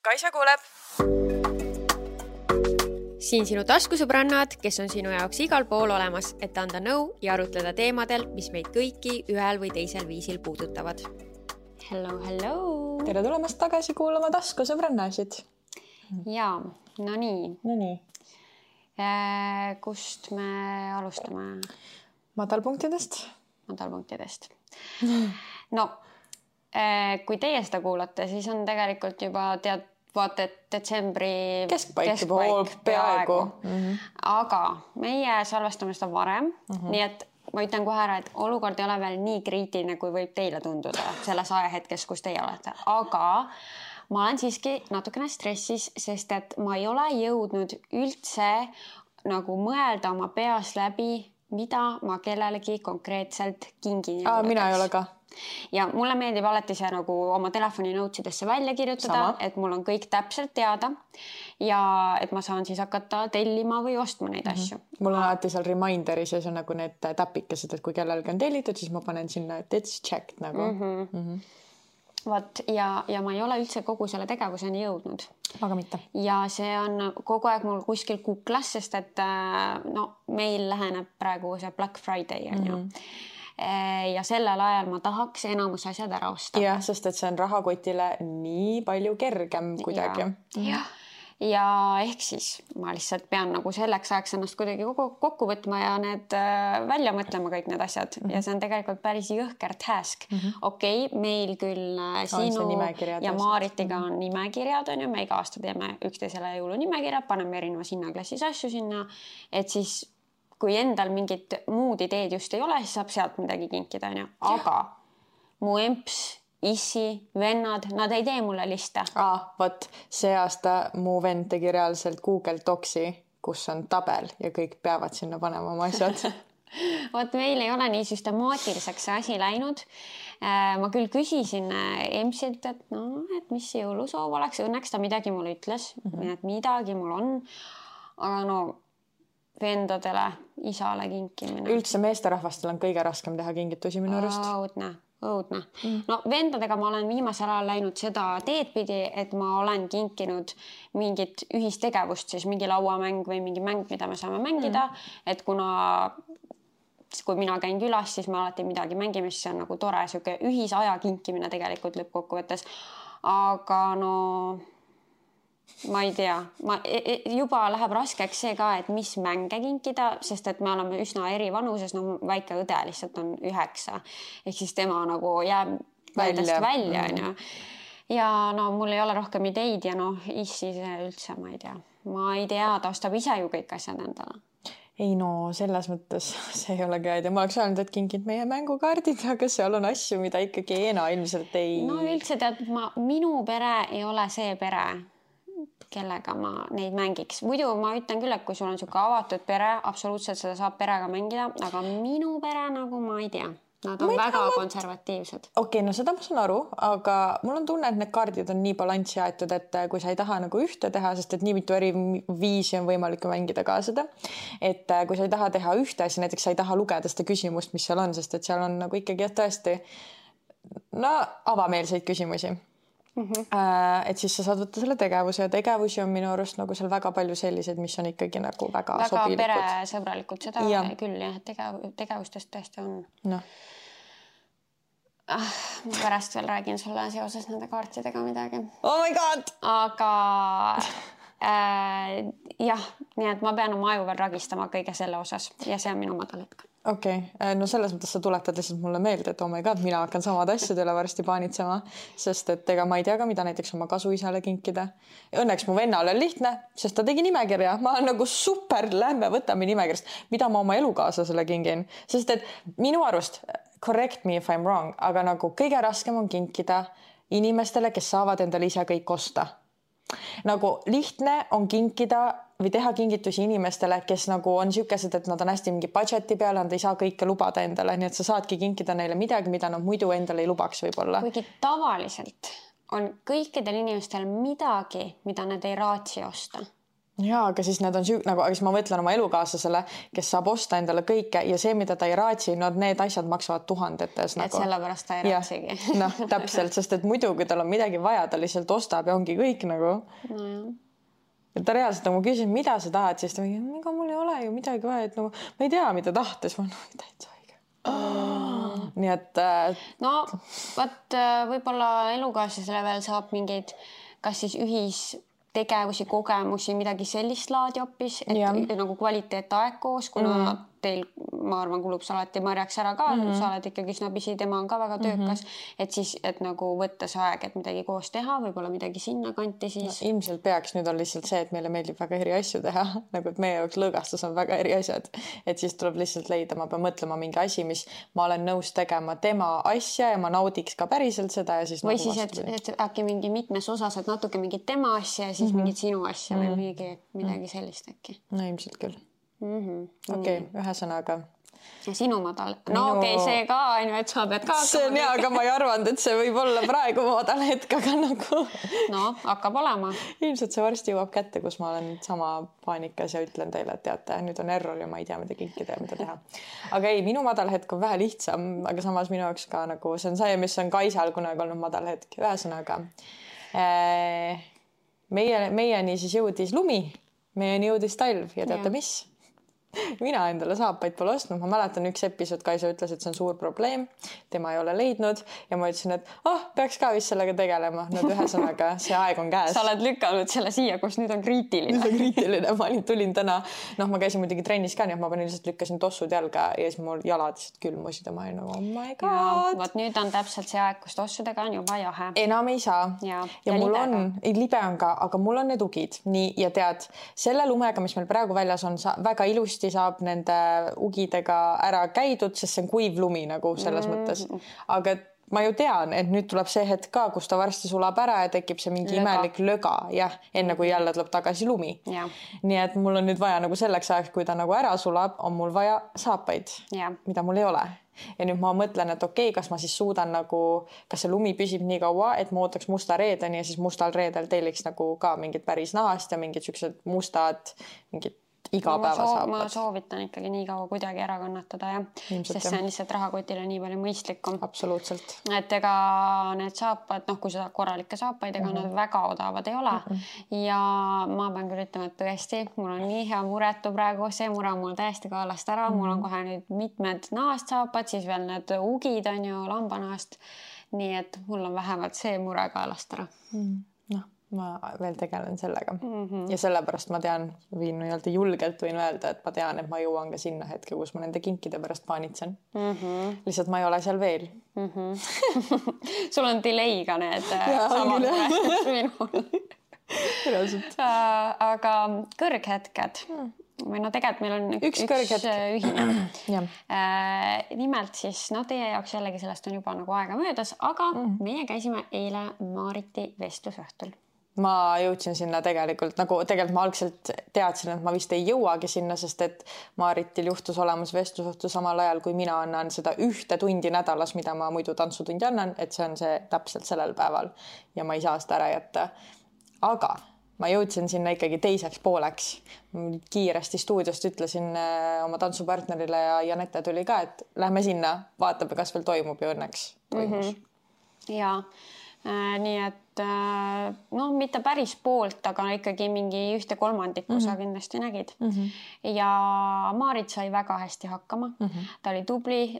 Kaisa kuuleb. Siin sinu taskusõbrannad, kes on sinu jaoks igal pool olemas, et anda nõu ja arutleda teemadel, mis meid kõiki ühel või teisel viisil puudutavad. Hello! Tere tulemast tagasi kuulama taskusõbrannasid. Jaa, no nii. Kust me alustame? Madalpunktidest. No, kui teie seda kuulate, siis on tegelikult juba vaata, et detsembri keskpaik peaaegu. Aga meie salvestame seda varem, nii et ma ütlen kohe ära, et olukord ei ole veel nii kriitiline, kui võib teile tunduda selles ajahetkes, kus teie olete. Aga ma olen siiski natukene stressis, sest et ma ei ole jõudnud üldse nagu mõelda oma peas läbi, mida ma kellelegi konkreetselt kingin. Mina ei ole ka. Ja mulle meeldib alati see nagu oma telefoni notesidesse välja kirjutada, et mul on kõik täpselt teada ja et ma saan siis hakata tellima või ostma neid asju. Mul on alati seal reminderis ja see on nagu need täpikesed, et kui kellelgi on tellitud, siis ma panen sinna, et it's checked nagu. Vaat, ja ma ei ole üldse kogu selle tegevuseni jõudnud. Aga mitte. Ja see on kogu aeg mul kuskil kuklas, sest et meil läheneb praegu see Black Friday on ju. Ja sellel ajal ma tahaks enamus asjad ära osta. Jah, sest et see on rahakotile nii palju kergem kuidagi. Ja ehk siis ma lihtsalt pean nagu selleks ajaks ennast kuidagi kokku võtma ja need välja mõtlema kõik need asjad. Ja see on tegelikult päris jõhker task. Okei, meil küll sinu ja Maaritiga on nimekirjad, on ju. Me iga aasta teeme üksteisele jõulunimekirjad, paneme erinevas hinnaklassis asju sinna, et siis kui endal mingit muud ideed just ei ole, siis saab sealt midagi kinkida, on ju. Aga mu emps, issi, vennad, nad ei tee mulle liste. Võt, see aasta mu vend tegi reaalselt Google Docsi, kus on tabel ja kõik peavad sinna panema oma asjad. Võt, meil ei ole nii süstemaatiliseks see asi läinud. Ma küll küsisin emsilt, et mis jõulusoov oleks. Õnneks ta midagi mulle ütles, et midagi mul on. Aga vendadele, isale kinkimine. Üldse meesterahvastel on kõige raskem teha kingitusi minu arust. Õudne. No vendadega ma olen viimasel ajal läinud seda teed pidi, et ma olen kinkinud mingit ühistegevust, siis mingi lauamäng või mingi mäng, mida me saame mängida, et kui mina käin külas, siis me alati midagi mängime, siis see on nagu tore siuke ühisaja kinkimine tegelikult lõppkokkuvõttes. Aga ma ei tea, juba läheb raskeks see ka, et mis mänge kinkida, sest et me oleme üsna eri vanuses, väike õde lihtsalt on 9, ehk siis tema nagu jääb väldest välja. Ja mul ei ole rohkem ideid ja issi see üldse, ma ei tea, ta ostab ise ju kõik asjad endale. Ei selles mõttes see ei ole ka, ma oleks öelnud, et kinkid meie mängukaardid, aga seal on asju, mida ikkagi Eena ilmselt ei... Üldse tead, minu pere ei ole see pere, kellega ma neid mängiks. Muidu ma ütlen küll, et kui sul on siuke avatud pere, absoluutselt seda saab perega mängida, aga minu pere nagu ma ei tea. Nad on väga konservatiivsed. Okei, seda ma saan aru, aga mul on tunne, et need kaardid on nii balanssi aetud, et kui sa ei taha nagu ühte teha, sest et nii mitu eri viisi on võimalik mängida ka seda, et kui sa ei taha teha ühte, siis näiteks sa ei taha lugeda seda küsimust, mis seal on, sest et seal on nagu ikkagi tõesti avameelseid küsimusi. Et siis sa saad võtta selle tegevuse ja tegevusi on minu arust nagu seal väga palju sellised, mis on ikkagi nagu väga sobilikud. Väga peresõbralikud, seda küll jah, tegevustest tõesti on. Ma pärast veel räägin sulle seoses nende kaartidega midagi. Oh my god! Aga jah, nii et ma pean oma aju veel ragistama kõige selle osas ja see on minu madal hetk. Okei, selles mõttes sa tuletad lihtsalt mulle meelde, et oh my god, mina hakkan samad asjad üle varsti paanitsema, sest et ega ma ei tea ka, mida näiteks oma kasuisale kinkida. Õnneks mu vennal on lihtne, sest ta tegi nimekirja. Ma olen nagu super, lähme võtame nimekirjast, mida ma oma elukaaslasele kingin. Sest et minu arust, correct me if I'm wrong, aga nagu kõige raskem on kinkida inimestele, kes saavad endale ise kõik osta. Nagu lihtne on kinkida või teha kingitusi inimestele, kes nagu on siukesed, et nad on hästi mingi budgeti peale, nad ei saa kõike lubada endale, nii et sa saadki kinkida neile midagi, mida nad muidu endale ei lubaks võib-olla. Kuigi tavaliselt on kõikidel inimestel midagi, mida nad ei raatsi osta. Jaa, aga siis need on nagu, aga siis ma mõtlen oma elukaaslasele, kes saab osta endale kõike ja see, mida ta ei raatsi, no need asjad maksavad tuhandetes. Et sellepärast ta ei raatsigi. Noh, täpselt, sest et muidu, kui tal on midagi vaja, ta lihtsalt ostab ja ongi kõik nagu. No jah. Ja ta reaalselt nagu küsis, mida sa tahad, siis ta mingi, ega mul ei ole ju midagi vaja, et nagu ma ei tea, mida tahtes. Ma täitsa õige. Nii et... No, võt võib-olla elukaaslasele veel saab mingeid, kas siis tegevusi, kogemusi, midagi sellist laadi hoopis, et nagu kvaliteetaeg koos, kuna teil, ma arvan, kulub sa alati marjaks ära ka, sa oled ikkagi snabisi, tema on ka väga töökas, et siis, et nagu võtta see aeg, et midagi koos teha, võib-olla midagi sinna kanti siis. No, ilmselt peaks, nüüd on lihtsalt see, et meile meeldib väga eri asju teha, nagu et meie jaoks lõõgastus on väga eri asjad, et siis tuleb lihtsalt leida, ma pean mõtlema mingi asi, mis ma olen nõus tegema tema asja ja ma naudiks ka päriselt seda ja siis või nagu siis, et äkki mingi mitmes osas, et natuke mingit tema asja ja siis mingit sinu asja või midagi sellist äkki. No ilmselt küll. Okei, ühesõnaga. Ja sinu madal. No okei, see ka on ju, et sa pead ka. See on hea, aga ma ei arvanud, et see võib olla praegu madal hetk, aga nagu. No, hakkab olema. Ilmselt see varsti jõuab kätte, kus ma olen sama paanikas ja ütlen teile, et teate, nüüd on error ja ma ei tea, mida kinkida ja mida teha. Aga ei, minu madal hetk on vähe lihtsam, aga samas minu jaoks ka nagu see on see, mis on Kaisal kunagi olnud madal hetk. Ühesõnaga, meieni siis jõudis lumi, meieni jõudis talv ja teate mis? Mina endale saapaid pole ostnud. Ma mäletan üks episood, Kaisa ütles, et see on suur probleem. Tema ei ole leidnud ja ma ütlesin, et peaks ka vist sellega tegelema. Nüüd ühesõnaga, see aeg on käes. Sa oled lükanud selle siia, kus nüüd on kriitiline. Nüüd on kriitiline. Ma tulin täna, ma käisin muidugi trennis ka, nii et ma panin lihtsalt lükkasin tossud jalga ja siis mul jalad lihtsalt külmusid ja ma olin nagu, oh my god. Vaat nüüd on täpselt see aeg, kus tossudega on juba jahe. Enam ei saa. Ja mul on, libe on ka, aga mul on need ugid. Nii, ja tead, selle lumega, mis meil praegu väljas on, väga ilusti saab nende ugidega ära käidud, sest see on kuiv lumi nagu selles mõttes. Aga ma ju tean, et nüüd tuleb see hetk ka, kus ta varsti sulab ära ja tekib see mingi imelik löga, enne kui jälle tuleb tagasi lumi. Ja. Nii et mul on nüüd vaja nagu selleks ajaks, kui ta nagu ära sulab, on mul vaja saapaid, mida mul ei ole. Ja nüüd ma mõtlen, et okei, kas ma siis suudan nagu, kas see lumi püsib nii kaua, et ma ootaks musta reedeni ja siis mustal reedel telliks nagu ka mingid päris nahast ja mingid siuksed mustad, mingid igapäeva saapad. Ma soovitan ikkagi nii kaua kuidagi ära kannatada, sest see on lihtsalt rahakotile nii palju mõistlikum. Absoluutselt. Et ega need saapad, kui sa korralikke saapaid, ega nad väga odavad ei ole. Ja ma pean küll ütlema, et tõesti, mul on nii hea muretu praegu, see mure on mul täiesti kaelast ära. Mul on kohe nüüd mitmed nahast saapad, siis veel need ugid on ju lambanahast. Nii et mul on vähemalt see mure kaelast ära. Ma veel tegelen sellega. Ja sellepärast ma tean, julgelt võin öelda, et ma tean, et ma jõuan ka sinna hetke, kus ma nende kinkide pärast paanitsen. Lihtsalt ma ei ole seal veel. Sul on delay ka need samad minul. Aga kõrghetked. Või tegelikult meil on üks ühine. Nimelt siis, teie jaoks jällegi sellest on juba nagu aega möödas, aga meie käisime eile Maariti vestlusõhtul. Ma jõudsin sinna tegelikult ma algselt teadsin, et ma vist ei jõuagi sinna, sest et Maaritil juhtus olemas vestlusõhtu samal ajal, kui mina annan seda 1 tundi nädalas, mida ma muidu tantsutundi annan, et see on see täpselt sellel päeval ja ma ei saa seda ära jätta. Aga ma jõudsin sinna ikkagi teiseks pooleks. Kiiresti stuudiost ütlesin oma tantsupartnerile ja Janette tuli ka, et lähme sinna, vaatame, kas veel toimub ja õnneks toimus. Ja nii et mitte päris poolt, aga ikkagi mingi 1/3 sa kindlasti nägid. Ja Maarit sai väga hästi hakkama. Ta oli tubli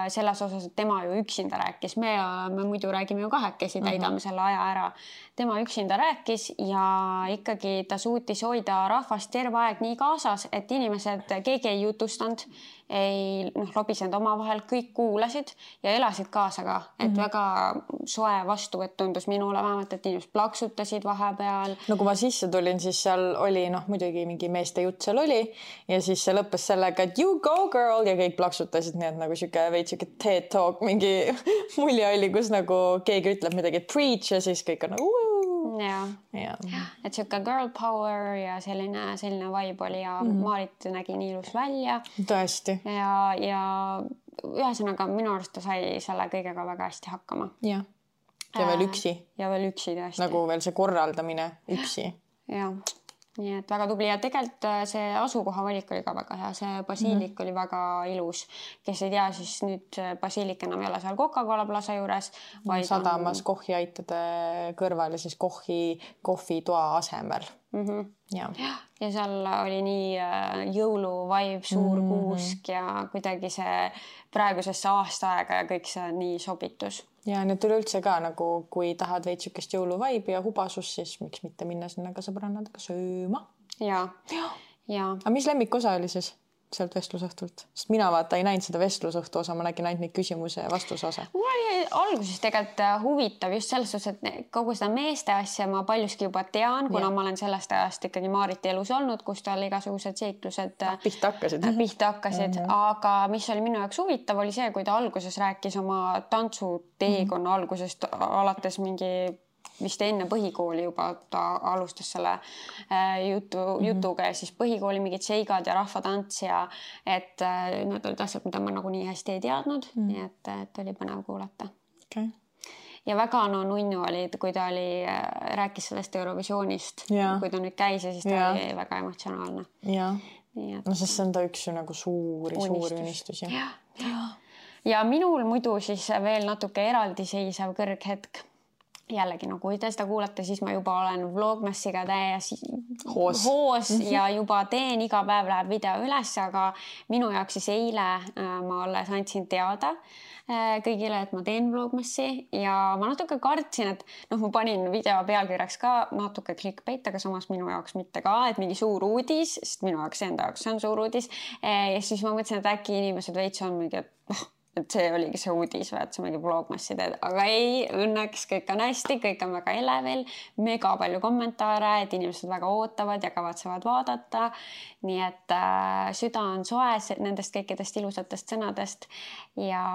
selles osas, et tema ju üksinda rääkis. Me muidu räägime ju kahekesi, täidame selle aja ära. Tema üksinda rääkis ja ikkagi ta suutis hoida rahvast terve aeg nii kaasas, et inimesed, keegi ei jutustanud, ei lobisenud omavahel, kõik kuulasid ja elasid kaasa ka. Et väga soe vastuvõtt tundus minule vähemalt, et inimesed plaksutasid vahepeal. No kui ma sisse tulin, siis seal oli muidugi mingi meeste jutt seal oli ja siis see lõppes sellega, et you go girl ja kõik plaksutasid, nii et nagu siuke TED Talk, mingi mulje oli, kus nagu keegi ütleb midagi preach ja siis kõik on nagu et siuke girl power ja selline vibe oli ja Maarit nägi nii ilus välja. Tõesti. Ja ühesõnaga minu arust ta sai selle kõigega väga hästi hakkama. Ja veel üksi. Ja veel üksi tõesti. Nagu veel see korraldamine üksi. Ja. nii et väga tubli ja tegelikult see asukoha valik oli ka väga hea, see basiilik oli väga ilus. Kes ei tea, siis nüüd basiilik enam ei ole seal Coca-Cola plaza juures. Sadamas kohviaitade kõrval ja siis kohvitoa asemel. Ja seal oli nii jõuluvaib, suur kuusk ja kuidagi see praegusesse aastaaega ja kõik see nii sobitus. Ja nüüd üleüldse ka nagu, kui tahad veid sükest jõuluvaibi ja hubasus, siis miks mitte minna sinna ka sõbrannadega sööma. Ja. Aga mis lemmikosa oli siis sealt vestlusõhtult? Sest mina vaata ei näinud seda vestlusõhtu osa, ma nägin ainult neid küsimuse ja vastuse osa. Mul oli alguses tegelikult huvitav just selles suhtes, et kogu seda meeste asja ma paljuski juba tean, kuna ma olen sellest ajast ikkagi Maariti elus olnud, kus tal igasugused seiklused pihta hakkasid. Aga mis oli minu jaoks huvitav, oli see, kui ta alguses rääkis oma tantsuteekonna algusest alates mingi vist enne põhikooli juba ta alustas selle jutuga ja siis põhikooli mingid seigad ja rahvatants ja et need olid asjad, mida ma nagu nii hästi ei teadnud, nii et oli põnev kuulata. Okay. Ja väga nunnu oli, kui ta rääkis sellest Eurovisioonist, kui ta nüüd käis ja siis ta oli väga emotsionaalne. No sest see on ta üks ju nagu suuri unistusi. Ja minul muidu siis veel natuke eraldiseisev kõrghetk. Jällegi, no kui te seda kuulate, siis ma juba olen Vlogmassiga täies hoos ja juba teen, iga päev läheb video üles, aga minu jaoks siis eile ma alles andsin teada kõigile, et ma teen Vlogmassi ja ma natuke kartsin, et ma panin video pealkirjaks ka natuke clickbait, aga samas minu jaoks mitte ka, et mingi suur uudis, sest minu jaoks enda jaoks see on suur uudis ja siis ma mõtlesin, et äkki inimesed veits on mingi, et see oligi see uudis või, et see mingi Vlogmassi teed, aga ei, õnneks kõik on hästi, kõik on väga elevil, mega palju kommentaare, et inimesed väga ootavad ja kavatsevad vaadata. Nii et süda on soe nendest kõikidest ilusatest sõnadest ja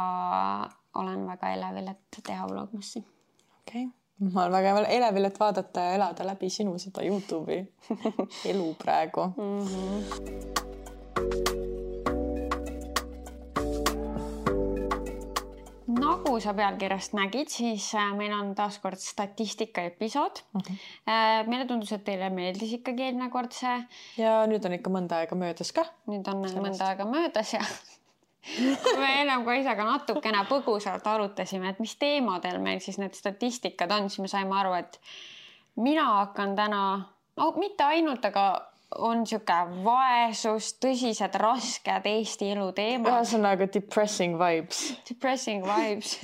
olen väga elevil, et teha Vlogmassi. Okay. Ma olen väga elevil, et vaadata ja elada läbi sinu seda YouTube'i elu praegu. Nagu sa pealkirjast nägid, siis meil on taaskord statistika episood. Meile tundus, et teile meeldis ikkagi eelmine kord see. Ja nüüd on ikka mõnda aega möödas ka. Nüüd on mõnda aega möödas ja me enam ka isaga natukene põgusalt arutasime, et mis teemadel meil siis need statistikad on, siis me saime aru, et mina hakkan täna, mitte ainult, aga on siuke vaesus, tõsised rasked Eesti elu teemad. Ühesõnaga depressing vibes. Depressing vibes.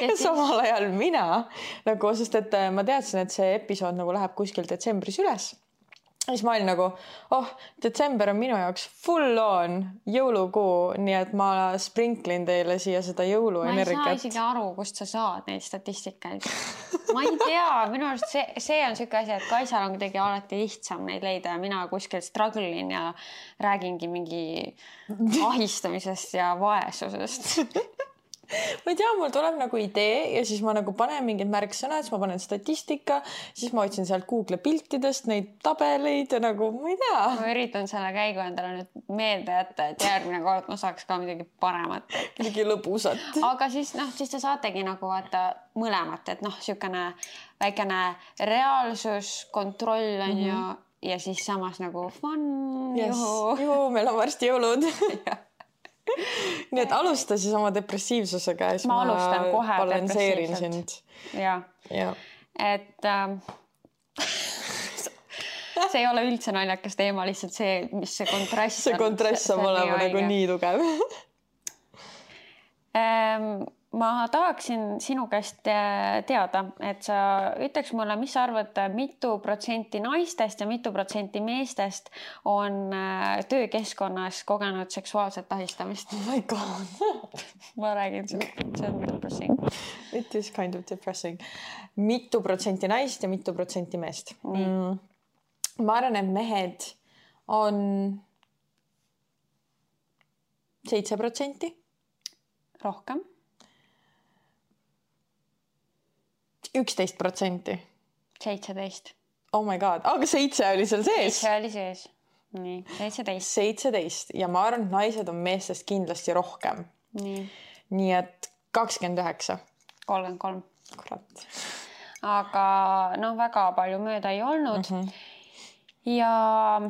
Ja samal ajal mina, nagu, sest et ma teadsin, et see episood nagu läheb kuskil detsembris üles. Ja siis ma olin nagu, detsember on minu jaoks full on jõulukuu, nii et ma sprinklin teile siia seda jõuluenergiat. Ma ei saa isegi aru, kust sa saad neid statistikaid. Ma ei tea, minu arust see on siuke asi, et Kaisal on kuidagi alati lihtsam neid leida ja mina kuskil struggle'in ja räägingi mingi ahistamisest ja vaesusest. Ma ei tea, mul tuleb nagu idee ja siis ma nagu panen mingid märksõnad, siis ma panen statistika, siis ma otsin sealt Google piltidest neid tabeleid ja nagu, ma ei tea. Ma üritan selle käigu endale nüüd meelde jätta, et järgmine kord ma saaks ka midagi paremat. Midagi lõbusat. Aga siis te saategi nagu vaata mõlemat, et siukene väikene reaalsus, kontroll on ja siis samas nagu fun. Juhu, meil on varsti jõulud. Nii et alusta siis oma depressiivsusega ja siis ma alustan kohe balanseerin sind. Ja. Et see ei ole üldse naljakas teema, lihtsalt see, mis see kontrasts on. See kontrasts saab olema nagu nii tugev. Ma tahaksin sinu käest teada, et sa ütleks mulle, mis sa arvad, mitu protsenti naistest ja mitu protsenti meestest on töökeskkonnas kogenud seksuaalset ahistamist? Oh my God. Ma räägin, see on depressing. It is kind of depressing. Mitu protsenti naist ja mitu protsenti meest? Ma arvan, et mehed on 7%. Rohkem? 11%. 17. Oh my God, aga 7 oli seal sees. 7 oli sees. Nii, 17. 17 ja ma arvan, et naised on meestest kindlasti rohkem. Nii et 29. 33. Kurat. Aga väga palju mööda ei olnud. ja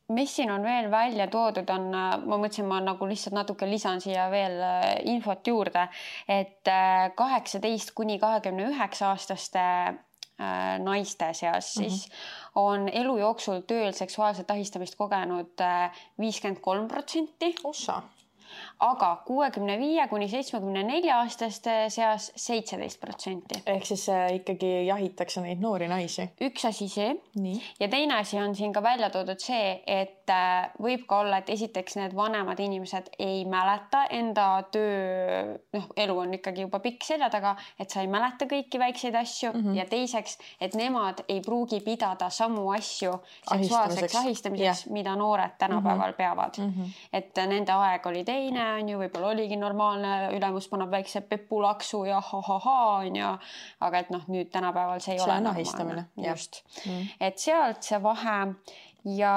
mis siin on veel välja toodud on, ma mõtlesin, ma nagu lihtsalt natuke lisan siia veel infot juurde, et 18 kuni 29 aastaste naiste seas siis on elu jooksul tööl seksuaalset ahistamist kogenud 53%. Ossa. Aga 65 kuni 74 aastaste seas 17%. Ehk siis ikkagi jahitakse neid noori naisi. Üks asi see. Nii. Ja teine asi on siin ka välja toodud see, et võib ka olla, et esiteks need vanemad inimesed ei mäleta enda töö, elu on ikkagi juba pikk selja taga, et sa ei mäleta kõiki väikseid asju ja teiseks, et nemad ei pruugi pidada samu asju seksuaalseks ahistamiseks, mida noored tänapäeval peavad. Et nende aeg oli teine, on ju, võib-olla oligi normaalne, ülemus paneb väikse pepulaksu ja on ju, aga et nüüd tänapäeval see ei ole normaalne. Just. Et sealt see vahe ja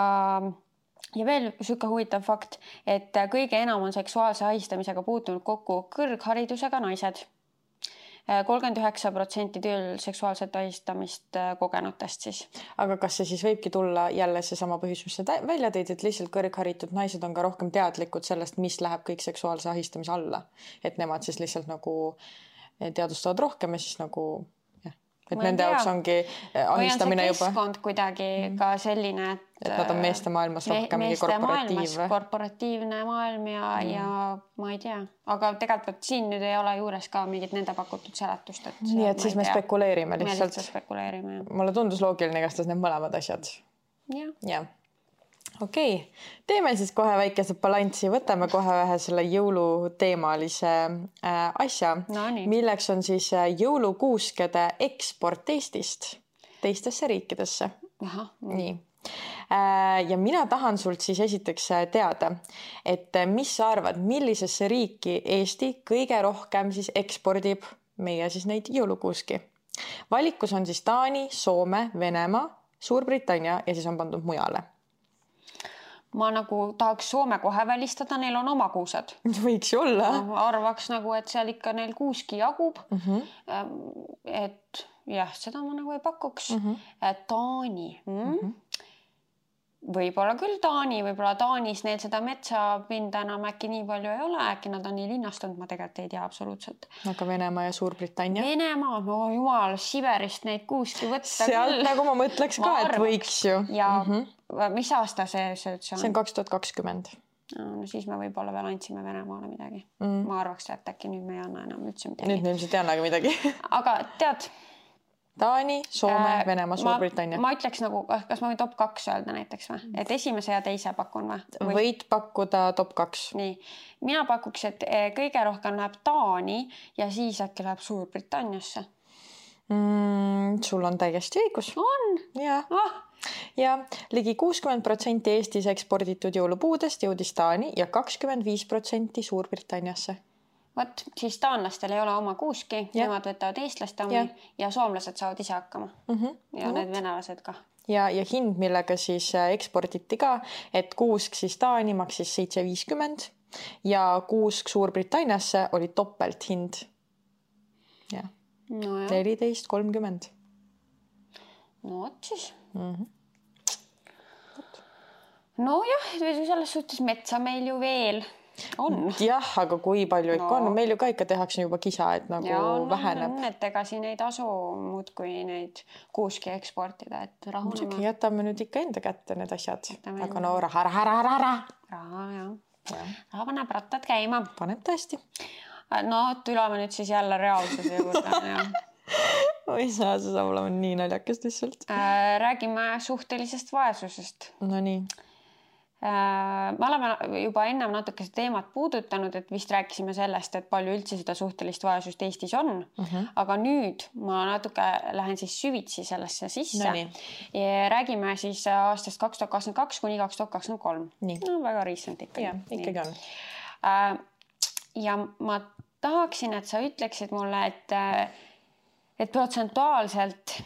veel süke huvitav fakt, et kõige enam on seksuaalse ahistamisega puutunud kokku kõrgharidusega naised. 39% tööl seksuaalset ahistamist kogenutest siis. Aga kas see siis võibki tulla jälle see sama põhjus, mis sa välja tõid, et lihtsalt kõrgharitud naised on ka rohkem teadlikud sellest, mis läheb kõik seksuaalse ahistamise alla? Et nemad siis lihtsalt nagu teadvustavad rohkem ja siis nagu... Et nende jaoks ongi ahistamine juba. Või on see keskkond kuidagi ka selline, et nad on meeste maailmas rohkem korporatiivne maailm ja ma ei tea. Aga tegelikult siin nüüd ei ole juures ka mingit nende pakutud seletust. Nii, et siis me spekuleerime lihtsalt. Spekuleerime. Mulle tundus loogiline igatahes need mõlemad asjad. Ja. Okei, teeme siis kohe väikese balanssi, võtame kohe ühe selle jõuluteemalise asja, milleks on siis jõulukuuskede eksport Eestist teistesse riikidesse. Nii. Ja mina tahan sult siis esiteks teada, et mis sa arvad, millisesse riiki Eesti kõige rohkem siis ekspordib meie siis neid jõulukuuski. Valikus on siis Taani, Soome, Venemaa, Suurbritannia ja siis on pandud mujale. Ma nagu tahaks Soome kohe välistada, neil on oma kuused. Võiks ju olla. Arvaks nagu, et seal ikka neil kuuski jagub. Et jah, seda ma nagu ei pakuks. Taani. Võib-olla küll Taani, võib-olla Taanis neil seda metsapinda enam äkki nii palju ei ole, äkki nad on nii linnastunud, ma tegelikult ei tea absoluutselt. Aga Venemaa ja Suurbritannia? Venemaa, no jumal, Siberist neid kuuski võtta sealt küll. Nagu ma mõtleks ka, et võiks ju. Ja mis aasta see on? See on 2020. No siis me võib-olla veel andsime Venemaale midagi. Ma arvaks, et äkki nüüd me ei anna enam üldse midagi. Nüüd me ilmselt ei annagi midagi. Aga tead... Taani, Soome, Venemaa, Suurbritannia. Ma ütleks nagu, kas ma võin top 2 öelda näiteks või? Et esimese ja teise pakun või? Võid pakkuda top 2. Nii. Mina pakuks, et kõige rohkem läheb Taani ja siis äkki läheb Suurbritanniasse. Sul on täiesti õigus. On? Ja ligi 60% Eestis eksporditud jõulupuudest jõudis Taani ja 25% Suurbritanniasse. Võt, siis taanlastel ei ole oma kuuski, nemad võtavad eestlaste omi ja soomlased saavad ise hakkama. Ja need venelased ka. Ja hind, millega siis eksporditi ka, et kuusk siis Taani maksis 7,50 ja kuusk Suurbritanniasse oli topelt hind. 14,30. No vot siis. No jah, selles suhtes metsa meil ju veel on. Jah, aga kui palju ikka on? Meil ju ka ikka tehakse juba kisa, et nagu väheneb. Et ega siin ei tasu muud kui neid kuuski eksportida, et rahunema. Jätame nüüd ikka enda kätte need asjad. Aga no raha. Raha, jah. Raha paneb rattad käima. Paneb tõesti. No, tuleme nüüd siis jälle reaalsuse juurde. Oi saa, see saab olema nii naljakast lihtsalt. Räägime suhtelisest vaesusest. No nii. Me oleme juba ennem natuke seda teemat puudutanud, et vist rääkisime sellest, et palju üldse seda suhtelist vaesust Eestis on, aga nüüd ma natuke lähen siis süvitsi sellesse sisse. Ja räägime siis aastast 2022 kuni 2023. No väga recent ikkagi. Ja, ikkagi on. Ja ma tahaksin, et sa ütleksid mulle, et protsentuaalselt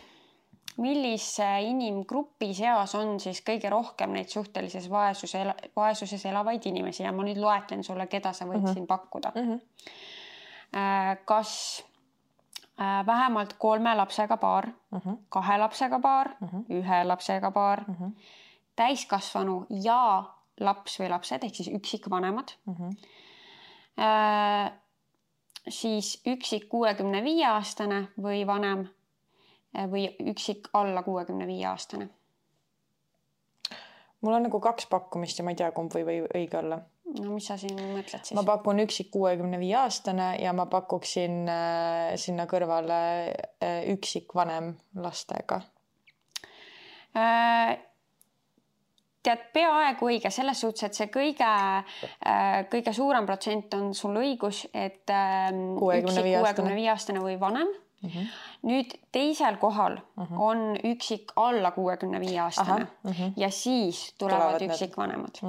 millise inimgruppi seas on siis kõige rohkem neid suhtelises vaesuses elavaid inimesi ja ma nüüd loetlen sulle, keda sa võid siin pakkuda. Kas vähemalt 3 lapsega paar, 2 lapsega paar, 1 lapsega paar, täiskasvanu ja laps või lapsed ehk siis üksikvanemad. Siis üksik 65-aastane või vanem või üksik alla 65-aastane. Mul on nagu 2 pakkumist ja ma ei tea, kumb või õige olla. No mis sa siin mõtled siis? Ma pakun üksik 65-aastane ja ma pakuksin sinna kõrvale üksik vanem lastega. Tead, peaaegu õige selles suhtes, et see kõige suurem protsent on sul õigus, et üksik 65-aastane või vanem. Nüüd teisel kohal on üksik alla 65-aastane ja siis tulevad üksikvanemad.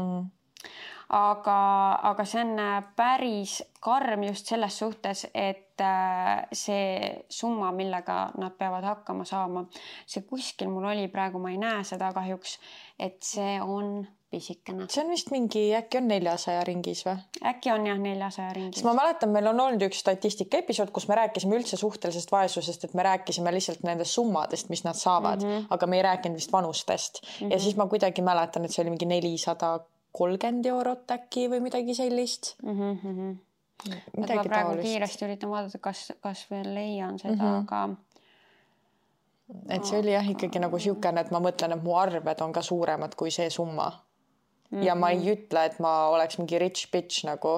Aga see on päris karm just selles suhtes, et see summa, millega nad peavad hakkama saama, see kuskil mul oli praegu, ma ei näe seda kahjuks, et see on pisikene. See on vist mingi, äkki on 400 ringis või? Äkki on jah 400 ringis. Ma mäletan, meil on olnud üks statistika episood, kus me rääkisime üldse suhtelisest vaesusest, et me rääkisime lihtsalt nendest summadest, mis nad saavad, aga me ei rääkinud vist vanustest. Ja siis ma kuidagi mäletan, et see oli mingi 430 eurot äkki või midagi sellist. Ma praegu kiiresti üritan vaadata, kas veel leian seda, aga... Et see oli jah ikkagi nagu siukene, et ma mõtlen, et mu arved on ka suuremad kui see summa. Ja ma ei ütle, et ma oleks mingi rich bitch nagu,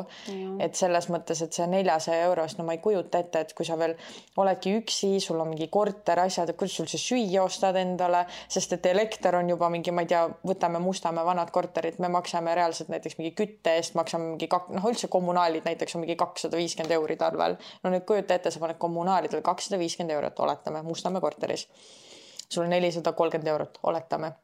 et selles mõttes, et see 400 eurost, no ma ei kujuta ette, et kui sa veel oledki üksi, sul on mingi korter asjad, et kuidas sul see süüa ostad endale, sest et elekter on juba mingi, ma ei tea, võtame Mustamäe vanad korterid, me maksame reaalselt näiteks mingi kütte eest, maksame mingi, üldse kommunaalid näiteks on mingi 250 € talvel. No nüüd kujuta ette, sa paned kommunaalidel 250 €, oletame, Mustamäe korteris. Sul on 430 €, oletame.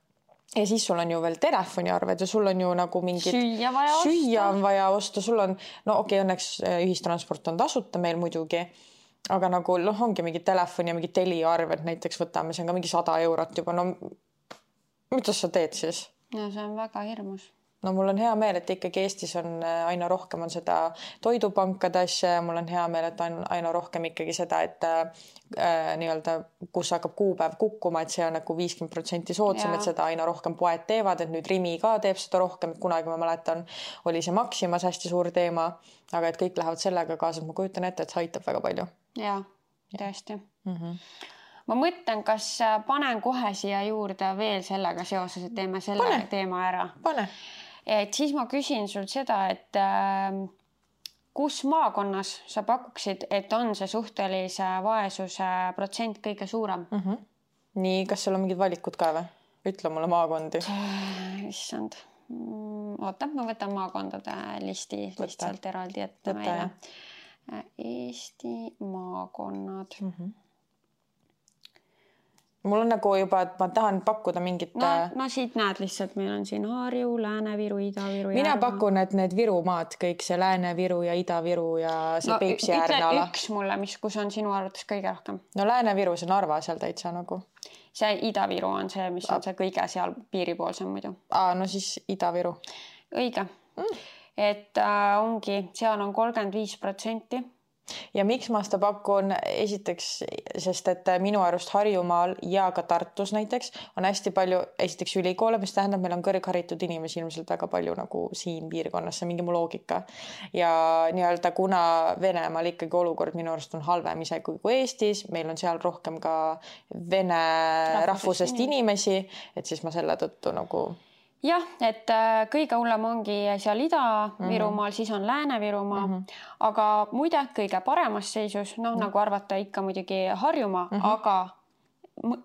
Ja siis sul on ju veel telefoniarved ja sul on ju nagu mingid süüa on vaja osta, sul on, no okei, õnneks ühistransport on tasuta meil muidugi, aga nagu ongi mingi telefoni ja mingi teliarved näiteks võtame, see on ka mingi 100 € juba, no mida sa teed siis? No see on väga hirmus. No mul on hea meel, et ikkagi Eestis on aina rohkem on seda toidupankade asja ja mul on hea meel, et on aina rohkem ikkagi seda, et nii-öelda, kus hakkab kuupäev kukkuma, et see on nagu 50% soodsam, et seda aina rohkem poed teevad, et nüüd Rimi ka teeb seda rohkem, et kunagi ma mäletan, oli see Maximas hästi suur teema, aga et kõik lähevad sellega kaasa, ma kujutan ette, et see aitab väga palju. Jaa, tõesti. Ma mõtlen, kas panen kohe siia juurde veel sellega seoses, et teeme selle teema ära. Pane. Et siis ma küsin sul seda, et kus maakonnas sa pakuksid, et on see suhtelise vaesuse protsent kõige suurem? Nii, kas seal on mingid valikud ka või? Ütle mulle maakondi. Issand. Oota, ma võtan maakondade listi lihtsalt eraldi ette meile. Eesti maakonnad. Mul on nagu juba, et ma tahan pakkuda mingit... No siit näed lihtsalt, meil on siin Harju, Lääne-Viru, Ida-Viru. Mina pakun, et need Virumaad, kõik see Lääne-Viru ja Ida-Viru ja see Peipsi äärne ala. Üks mulle, kus on sinu arvates kõige rohkem. No Lääne-Viru, see Narva seal täitsa nagu. See Ida-Viru on see, mis on see kõige seal piiripoolsem muidu. No siis Ida-Viru. Õige. Et ongi, seal on 35%. Ja miks ma seda pakun? Esiteks, sest et minu arust Harjumaal ja ka Tartus näiteks on hästi palju esiteks ülikoole, mis tähendab, meil on kõrgharitud inimesi ilmselt väga palju nagu siin piirkonnas, see mingi mu loogika. Ja nii-öelda kuna Venemaal ikkagi olukord minu arust on halvem ise kui Eestis, meil on seal rohkem ka vene rahvusest inimesi, et siis ma selle tõttu nagu... Jah, et kõige hullem ongi seal Ida-Virumaal, siis on Lääne-Virumaa, aga muide kõige paremas seisus, nagu arvata ikka muidugi Harjumaa, aga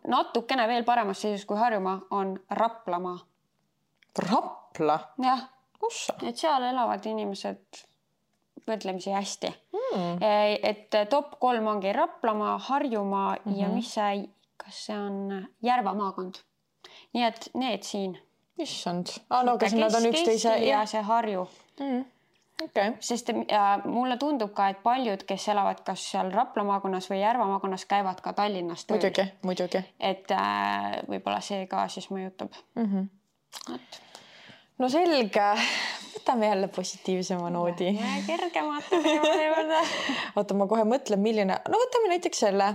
natukene veel paremas seisus kui Harjumaa on Raplamaa. Rapla? Jah, et seal elavad inimesed võrdlemisi hästi. Et top 3 ongi Raplamaa, Harjumaa ja mis see, kas see on Järva maakond. Nii et need siin. Issand. No kas nad on üksteise... Ja see Harju. Okay. Sest mulle tundub ka, et paljud, kes elavad kas seal Rapla maakonnas või Järva maakonnas, käivad ka Tallinnas tööl. Muidugi. Et võib-olla see ka siis mõjutab. No selge. võtame jälle positiivsema noodi. Kergemate teemade juurde. Oota, ma kohe mõtlen, milline... No võtame näiteks selle.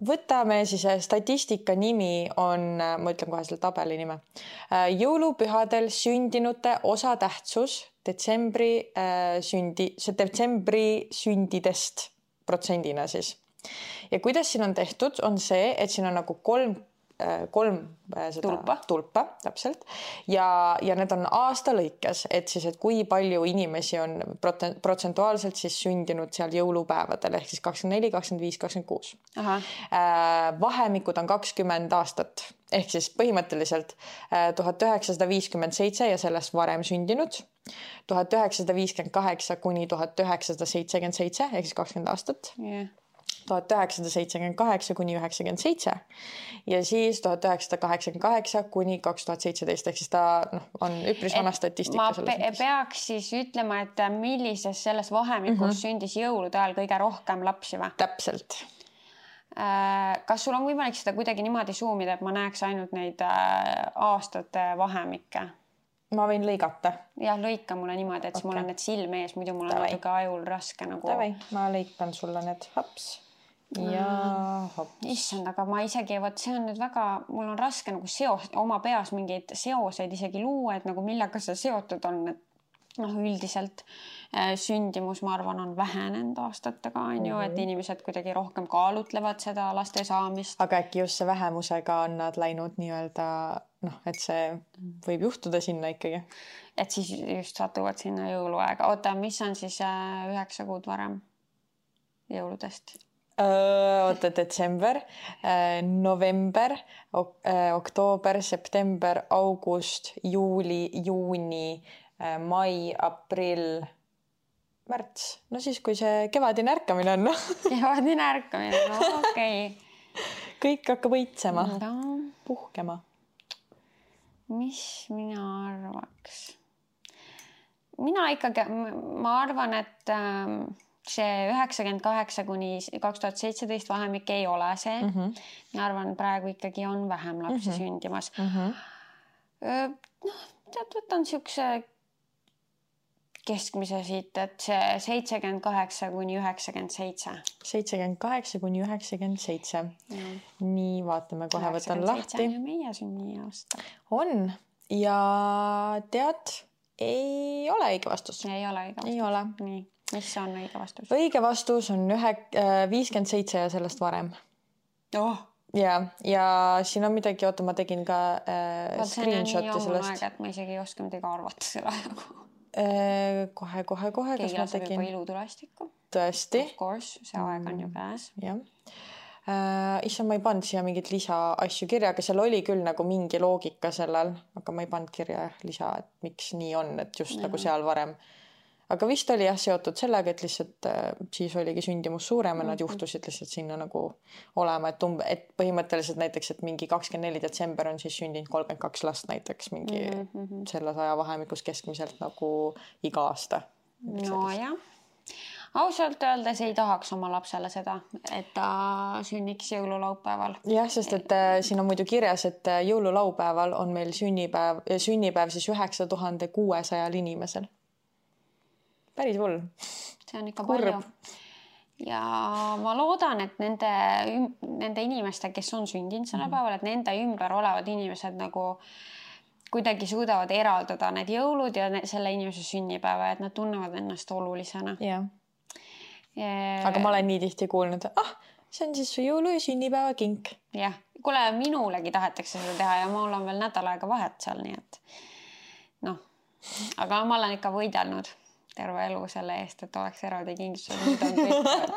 Võtame siis statistika nimi on, ma ütlen kohe selle tabeli nime. Jõulupühadel sündinute osatähtsus detsembri sündidest protsendina siis. Ja kuidas siin on tehtud, on see, et siin on nagu kolm tulpa, täpselt. Ja need on aasta lõikes, et siis, et kui palju inimesi on protsentuaalselt siis sündinud seal jõulupäevadel, ehk siis 24, 25, 26. Vahemikud on 20 aastat, ehk siis põhimõtteliselt 1957 ja sellest varem sündinud, 1958 kuni 1977, ehk siis 20 aastat. 1978 kuni 97 ja siis 1988 kuni 2017 ehk siis ta on üpris vana statistika. Ma peaks siis ütlema, et millises selles vahemikus sündis jõulude ajal kõige rohkem lapsi või? Täpselt. Kas sul on võimalik seda kuidagi niimoodi suumida, et ma näeks ainult neid aastate vahemikke? Ma võin lõigata. Jah, lõika mulle niimoodi, et mul on need silme ees, muidu mul on natuke ajul raske nagu... Tavai, ma lõikan sulle need hops. Ja hops. Issand, aga ma isegi, see on nüüd väga, mul on raske nagu oma peas mingeid seoseid isegi luua, et nagu millega see seotud on, et üldiselt sündimus, ma arvan, on vähenenud aastatega, et inimesed kuidagi rohkem kaalutlevad seda laste saamist. Aga äkki just see vähemusega on nad läinud nii-öelda, et see võib juhtuda sinna ikkagi. Et siis just satuvad sinna jõuluaega. Oota, mis on siis 9 kuud varem jõuludest? Oota, detsember, november, oktoober, september, august, juuli, juuni, mai, aprill, märts. No siis, kui see kevadine ärkamine on. Kevadine ärkamine, okei. Kõik hakkab õitsema, puhkema. Mis mina arvaks? Mina ikkagi, ma arvan, et see 98 kuni 2017 vahemik ei ole see. Ma arvan, praegu ikkagi on vähem lapsi sündimas. Võtan siukse keskmise siit, et see 78 kuni 97. 78 kuni 97. Nii, vaatame kohe, võtan lahti. 97 on meie sünniaasta. On. Ja tead, ei ole õige vastus. Ei ole õige vastus. Ei ole. Nii. Mis on õige vastus? Õige vastus on 57 ja sellest varem. Ja siin on midagi, oota, ma tegin ka screenshoti sellest. Et ma isegi ei oska midagi arvata selle ajaga. Kohe. Keegi laseb juba ilutulestikku. Tõesti. Of course, see aeg on ju käes. Jah. Issa ma ei pannud siia mingit lisa asju kirja, aga seal oli küll nagu mingi loogika sellel, aga ma ei pannud kirja lisa, et miks nii on, et just nagu seal varem. Aga vist oli seotud sellega, et lihtsalt siis oligi sündimus suurem ja nad juhtusid lihtsalt sinna nagu olema, et põhimõtteliselt näiteks, et mingi 24 detsember on siis sündinud 32 last näiteks mingi selles ajavahemikus keskmiselt nagu iga aasta. No jah. Ausalt öeldes ei tahaks oma lapsele seda, et ta sünniks jõululaupäeval. Jah, sest et siin on muidu kirjas, et jõululaupäeval on meil sünnipäev siis 9600 inimesel. Päris hull. See on ikka palju. Ja ma loodan, et nende inimeste, kes on sündinud selle päeval, et nende ümber olevad inimesed nagu kuidagi suudavad eraldada need jõulud ja selle inimese sünnipäeva, et nad tunnevad ennast olulisena. Jah. Aga ma olen nii tihti kuulnud, see on siis su jõulu- ja sünnipäeva kink. Jah, kuule, minulegi tahetakse seda teha ja mul on veel nädal aega vahet seal, nii et aga ma olen ikka võidelnud terve elu selle eest, et oleks eraldi kingitused.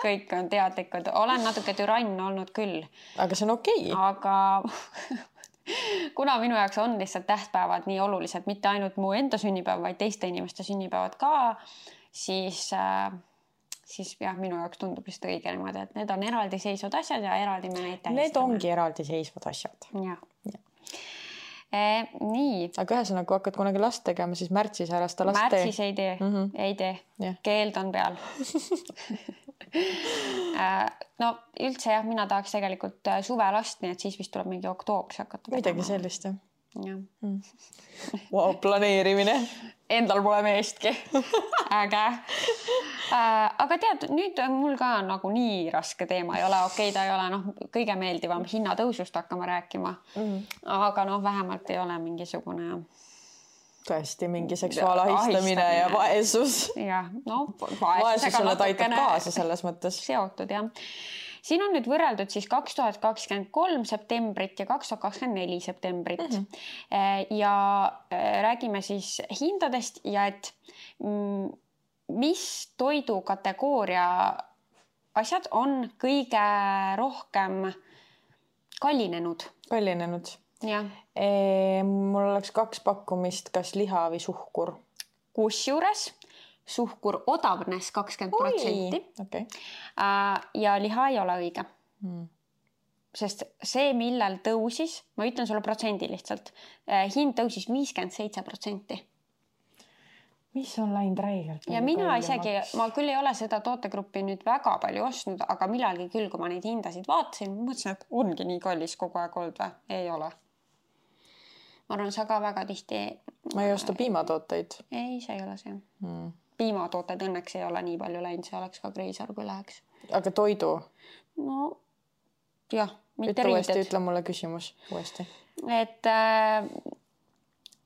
Kõik on teadlikud. Olen natuke türann olnud küll. Aga see on okei. Aga kuna minu jaoks on lihtsalt tähtpäevad nii olulised, mitte ainult mu enda sünnipäev, vaid teiste inimeste sünnipäevad ka, siis jah, minu jaoks tundub lihtsalt õige niimoodi, et need on eraldi seisvad asjad ja eraldi me neid tähistame. Need ongi eraldi seisvad asjad. Jah. Nii. Aga ühesõnaga, kui hakkad kunagi last tegema, siis märtsis ära seda last tee. Märtsis ei tee. Ei tee. Keeld on peal. No üldse jah, mina tahaks tegelikult suve last, nii et siis vist tuleb mingi oktoobris hakata. Midagi sellist, jah. Wow, planeerimine. Endal pole meestki. Äge. Aga tead, nüüd mul ka nagu nii raske teema ei ole. Okei, ta ei ole kõige meeldivam hinnatõusust hakkama rääkima. Aga vähemalt ei ole mingisugune... Tõesti, mingi seksuaalahistamine ja vaesus. Jah, vaesusele taitab kaasa selles mõttes. Seotud, jah. Siin on nüüd võrreldud siis 2023 septembrit ja 2024 septembrit. Ja räägime siis hindadest ja et mis toidukategooria asjad on kõige rohkem kallinenud. Kallinenud. Ja. Mul oleks 2 pakkumist, kas liha või suhkur. Kusjuures suhkur odavnes 20%. Okay. Ja liha ei ole õige. Sest see, millal tõusis, ma ütlen sulle protsendi lihtsalt, hind tõusis 57%. Mis on läinud räigelt? Ja mina isegi, ma küll ei ole seda tootegruppi nüüd väga palju ostnud, aga millalgi küll, kui ma neid hindasid vaatasin, mõtlesin, et ongi nii kallis kogu aeg olnud või? Ei ole. Ma arvan, sa ka väga tihti... Ma ei osta piimatooteid. Ei, see ei ole see. Piimatooted õnneks ei ole nii palju läinud, see oleks ka kreisar, kui läheks. Aga toidu? No, jah, mitte riided. Ütle mulle küsimus uuesti. Et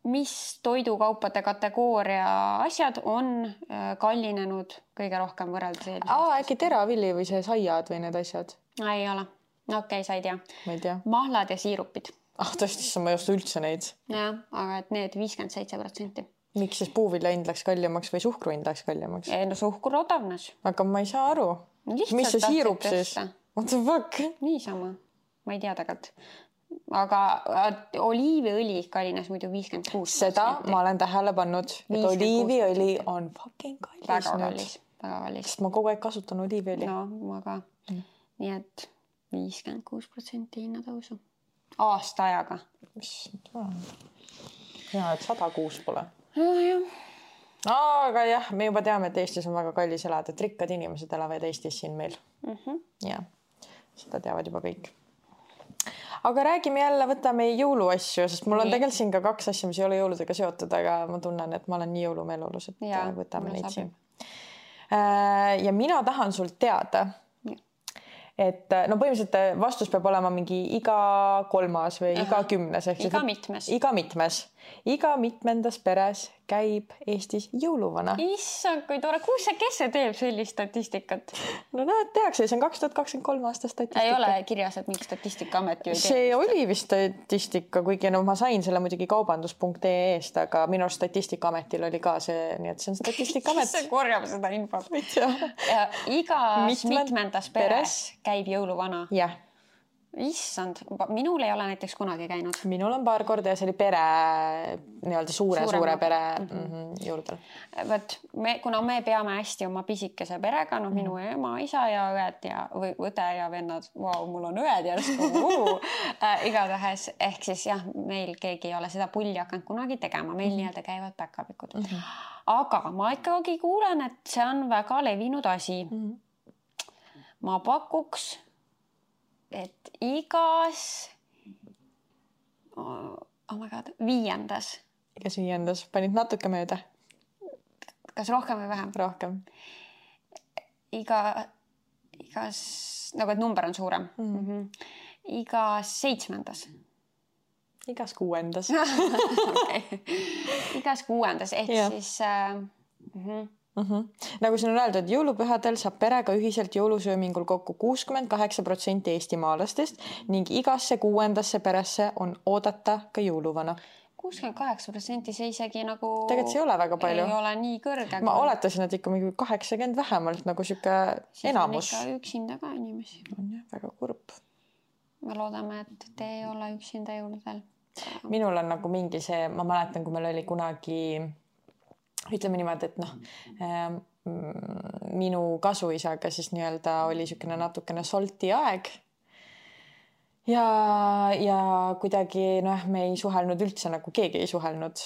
mis toidukaupade kategooria asjad on kallinenud kõige rohkem võrreldes eelmisest? Äkki teravilli või see saiad või need asjad? Ei ole. Okei, sa ei tea. Ma ei tea. Mahlad ja siirupid. Tõesti, ma ei osta üldse neid. Jah, aga et need 57%. Miks siis puuvilja hind läks kallimaks või suhkru hind läks kallimaks? No suhkur odavnes. Aga ma ei saa aru. Lihtsalt mis see siirup siis? What the fuck? Niisama. Ma ei tea tegelikult. Aga oliiviõli kallines muidu 56%. Seda ma olen tähele pannud, et oliiviõli on fucking kallis. Väga kallis. Väga kallis. Sest ma kogu aeg kasutan oliiviõli. No, ma ka. Nii et 56% hinnatõusu. Aasta ajaga. Hea, et 106 pole. Jah. Aga jah, me juba teame, et Eestis on väga kallis elada, et rikkad inimesed elavad Eestis siin meil. Ja, seda teavad juba kõik. Aga räägime jälle, võtame jõuluasju, sest mul on tegelikult siin ka 2 asja, mis ei ole jõuludega seotud, aga ma tunnen, et ma olen nii jõulumeelolus, et võtame neid siin. Ja mina tahan sult teada, et põhimõtteliselt vastus peab olema mingi iga 3. või iga 10. Iga mitmes. Iga mitmendas peres käib Eestis jõuluvana. Issand, kui tore. Kes see teeb sellist statistikat? No näed, tehakse. See on 2023 aasta statistika. Ei ole kirjas, et mingi Statistikaamet ju ei tee. See oli vist statistika, kuigi ma sain selle muidugi kaubandus.ee-st, aga minu Statistikaametil oli ka see, nii et see on Statistikaamet. See korjab seda infot. Igas mitmendas peres käib jõuluvana. Jah. Issand, minul ei ole näiteks kunagi käinud. Minul on paar korda ja see oli pere, nii-öelda suure pere jõuludel. Võt, kuna me peame hästi oma pisikese perega, minu ema, isa ja õed ja õde ja vennad, mul on õed järsku, igatahes, ehk siis jah, meil keegi ei ole seda pulli hakanud kunagi tegema, meil nii-öelda käivad päkapikud. Aga ma ikkagi kuulen, et see on väga levinud asi. Ma pakuks, et igas 5. Igas 5. Panid natuke mööda? Kas rohkem või vähem? Rohkem. Igas, nagu et number on suurem. Igas 7. Igas 6. Okay. Igas 6. ehk siis... Nagu siin on öeldud, jõulupühadel saab perega ühiselt jõulusöömingul kokku 68% eestimaalastest ning igasse 6. peresse on oodata ka jõuluvana. 68% see isegi nagu... Tegelikult see ei ole väga palju. Ei ole nii kõrge. Ma oletasin, et ikka 80 vähemalt nagu siuke enamus. Siis on ikka üksinda ka inimesi. On jah, väga kurb. Me loodame, et te ei ole üksinda jõuludel. Minul on nagu mingi see, ma mäletan, kui meil oli kunagi... Ütleme niimoodi, et minu kasuisaga siis nii-öelda oli siukene natukene solti aeg ja kuidagi me ei suhelnud üldse, nagu keegi ei suhelnud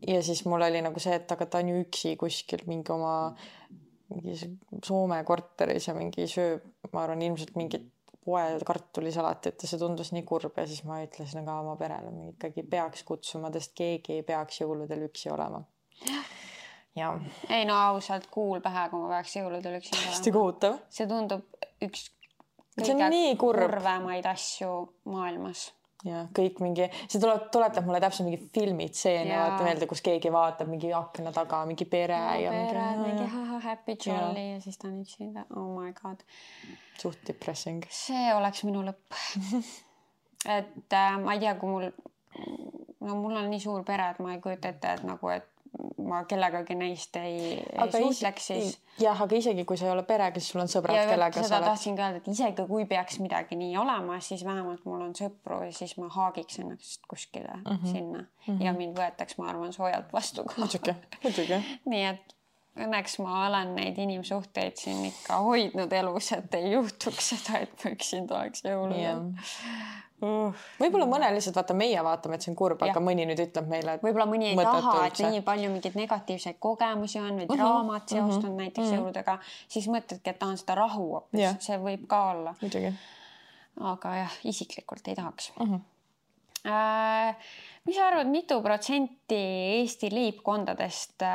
ja siis mul oli nagu see, et aga ta on ju üksi kuskil mingi oma Soome korteris ja mingi sööb, ma arvan, ilmselt mingit poe kartulisalatit ja see tundus nii kurb ja siis ma ütlesin ka oma perele, me ikkagi peaks kutsuma, sest keegi ei peaks jõuludel üksi olema. Ja. Ei no ausalt kuul pähe, kui ma peaks jõuludel üksi olema. Hästi kohutav. See tundub üks kõige kurvemaid asju maailmas. Ja kõik mingi, see tuletab mulle täpselt mingi filmitseene, vaata meelde, kus keegi vaatab mingi akna taga, mingi pere ja mingi happy jolly ja siis ta on üksi. Oh my god. Suht depressing. See oleks minu lõpp. Et ma ei tea, kui mul on nii suur pere, et ma ei kujuta ette, et nagu, et ma kellegagi neist ei suhtleks siis. Jah, aga isegi kui sa ei ole perega, siis sul on sõbrad, kellega sa oled. Seda tahtsin ka öelda, et isegi kui peaks midagi nii olema, siis vähemalt mul on sõpru ja siis ma haagiks ennast kuskile sinna. Ja mind võetaks, ma arvan, soojalt vastu. Muidugi. Nii et õnneks ma olen neid inimsuhteid siin ikka hoidnud elus, et ei juhtuks seda, et ma üksinda oleks jõuludel. Võib-olla mõne lihtsalt meie vaatame, et see on kurb, aga mõni nüüd ütleb meile, et võib-olla mõni ei taha, et nii palju mingeid negatiivseid kogemusi on või draamat seostunud näiteks jõuludega, siis mõtledki, et tahan seda rahu hoopis. See võib ka olla. Muidugi. Aga jah, isiklikult ei tahaks. Mis sa arvad, mitu protsenti Eesti leibkondadest